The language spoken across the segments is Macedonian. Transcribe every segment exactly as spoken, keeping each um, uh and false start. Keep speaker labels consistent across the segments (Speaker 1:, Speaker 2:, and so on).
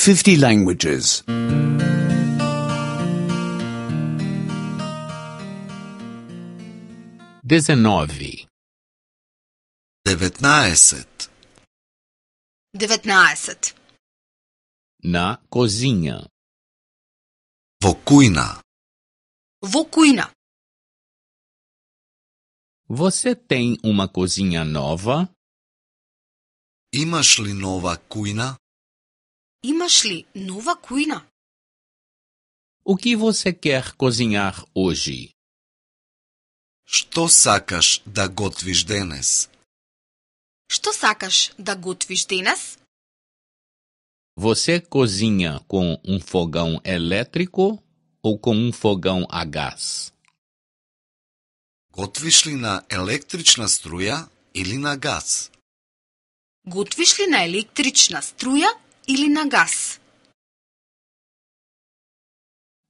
Speaker 1: fifty languages.
Speaker 2: dezenove,
Speaker 3: деветнаесет.
Speaker 4: деветнаесет.
Speaker 2: na cozinha,
Speaker 3: Во кујна.
Speaker 4: Во кујна.
Speaker 2: você tem uma cozinha nova?
Speaker 3: Имаш ли нова кујна?
Speaker 4: Имаш ли нова кујна?
Speaker 2: O que você quer cozinhar hoje?
Speaker 3: Што сакаш да готвиш денес?
Speaker 4: Што сакаш да готвиш денес?
Speaker 2: Você cozinha com um fogão elétrico ou com um fogão a gás?
Speaker 3: Готвиш ли на електрична струја или на газ?
Speaker 4: Готвиш ли на електрична струја или на газ?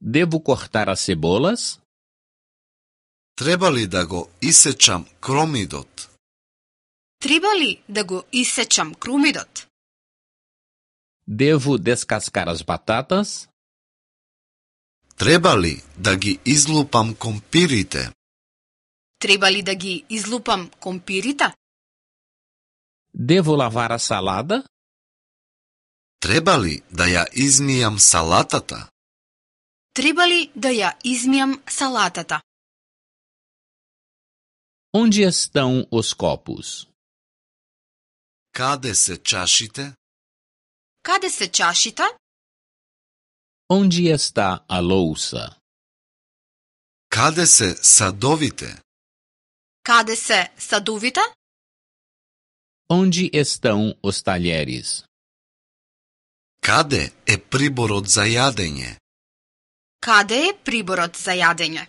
Speaker 2: Devo cortar as cebolas?
Speaker 3: Треба ли да го исечам кромидот?
Speaker 4: Треба ли да го исечам крумидот?
Speaker 2: Devo descascar as batatas?
Speaker 3: Треба ли да ги излупам компирите?
Speaker 4: Треба ли да ги излупам компирите?
Speaker 2: Devo lavar a salada?
Speaker 3: Треба ли да ја измијам салатата?
Speaker 4: Треба ли да ја измијам салатата?
Speaker 2: Onde estão os copos?
Speaker 3: Каде се чашите?
Speaker 4: Каде се чашите?
Speaker 2: Onde está a louça?
Speaker 3: Каде се садовите?
Speaker 4: Каде се садовите?
Speaker 2: Onde estão os talheres?
Speaker 3: Каде е приборот за јадење?
Speaker 4: Каде е приборот за јадење?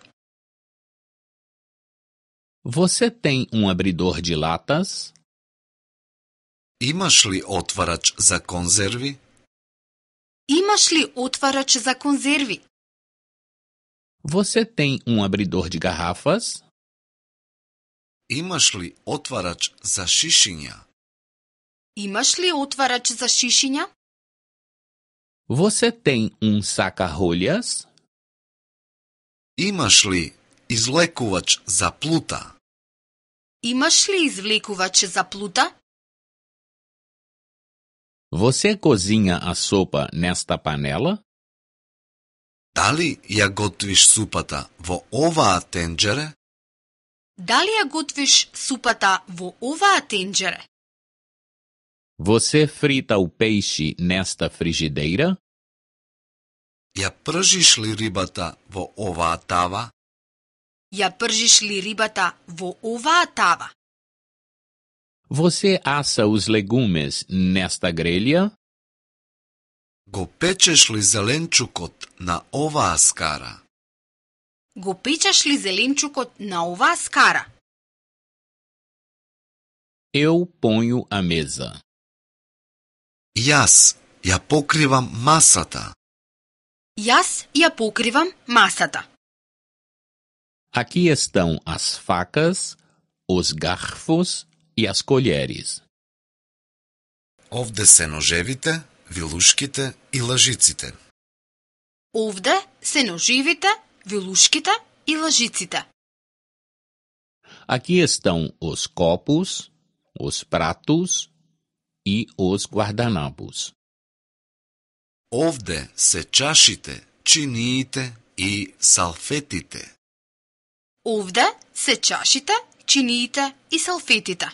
Speaker 2: Você tem um abridor de latas?
Speaker 3: Имаш ли отварач за конзерви?
Speaker 4: Имаш ли отварач за конзерви?
Speaker 2: Você tem um abridor de garrafas?
Speaker 3: Имаш ли отварач за шишиња?
Speaker 4: Имаш ли отварач за шишиња?
Speaker 2: Você tem um saca-rolhas?
Speaker 3: Имаш ли излекувач за плута?
Speaker 4: Имаш ли извлекувач за плута?
Speaker 2: Você cozinha a sopa nesta panela?
Speaker 3: Дали ја готвиш супата во оваа тенџере?
Speaker 4: Дали ја готвиш супата во оваа тенџере?
Speaker 2: Você frita o peixe nesta frigideira?
Speaker 3: Ја пржиш ли рибата во оваа тава?
Speaker 4: Ја пржиш ли рибата во оваа тава?
Speaker 2: Você assa os legumes nesta grelha?
Speaker 3: Го печеш ли зеленчукот на оваа скара?
Speaker 4: Го печеш ли зеленчукот на оваа скара?
Speaker 2: Eu ponho a mesa.
Speaker 3: Јас ја покривам масата.
Speaker 4: Јас ја покривам масата.
Speaker 2: Aqui estão as facas, os garfos e as colheres.
Speaker 3: Овде се ножевите, вилушките и лажиците.
Speaker 4: Овде се ноживите, вилушките и лажиците.
Speaker 2: Aqui estão os copos, os pratos e os guardanapos.
Speaker 3: Овде се чашите, чиниите и салфетите.
Speaker 4: Овде се чашите, чиниите и салфетите.